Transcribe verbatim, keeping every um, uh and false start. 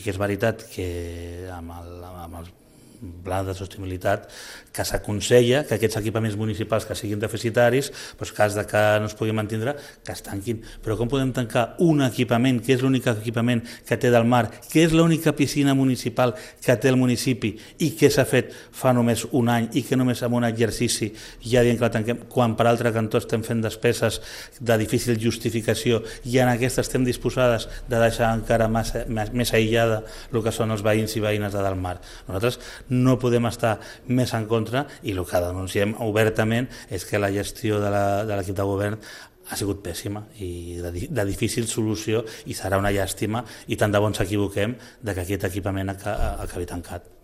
Que és veritat que amb el, amb el pla de sostenibilitat que s'aconsella que aquests equipaments municipals que siguin deficitaris, doncs cas de que no es pugui mantindre, que es tanquin. Però com podem tancar un equipament, que és l'únic equipament que té del mar, que és l'única piscina municipal que té el municipi i que s'ha fet fa només un any i que només amb un exercici ja dient que la tanquem, quan per altre cantó estem fent despeses de difícil justificació i en aquesta estem disposades de deixar encara massa, més aïllada el que són els veïns i veïnes de del mar. Nosaltres no podem estar més en contra i el que denunciem obertament és que la gestió de l'equip de govern ha sigut pèssima i de, de difícil solució i serà una llàstima i tant de bon s'equivoquem que aquest equipament acabi tancat.